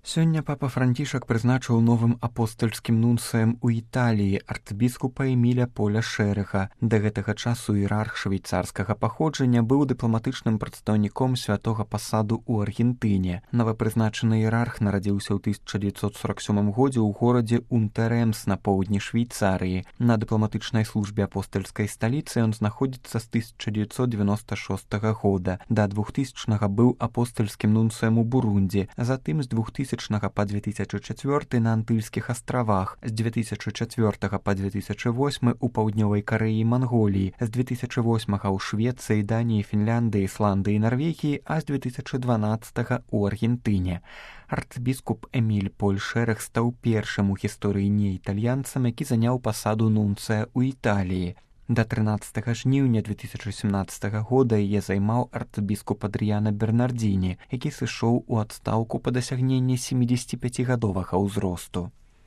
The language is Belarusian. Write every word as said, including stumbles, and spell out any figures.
Сёння папа Францішак прызначыў новым апостальскім нунцыем у Італіі арцыбіскупа Эміля Поля Шэрэга. Да гэтага часу іерарх швейцарскага паходжання быў дыпламатычным прадстаўніком святога пасаду ў Аргентыне. Новапрызначаны іерарх нарадзіўся ў тысяча дзевяцьсот сорок сёмым годзе ў горадзе Унтэрэмс на поўдні Швейцарыі. На дыпламатычнай службе апостальскай сталіцы ён знаходзіцца з тысяча дзевяцьсот дзевяноста шостага года. Да двухтысячнага быў апостальскім нунцыем у Бурунді, затым з двухтысячнага па две тысячы чацвёрты на Антыльскіх астравах, з дзве тысячы чацвёртага па две тысячы восьмы ў паўднёвай Карэі і Манголіі, з две тысячы восьмага ў Швецыі, Даніі, Фінляндыі, Ісландыі і Нарвегіі, а з две тысячы дванаццатага ў Аргентыне. Арцыбіскуп Эміль Поль Шэрэг стаў першым у гісторыі неітальянцам, які заняў пасаду нунцыя ў Італіі. Да трынаццатага жніўня две тысячы сямнаццатага года яе займаў арцыбіскуп Адрыяна Бернардзіні, які сышоў у адстаўку па дасягненні семідзесяціпяцігадовага ўзросту.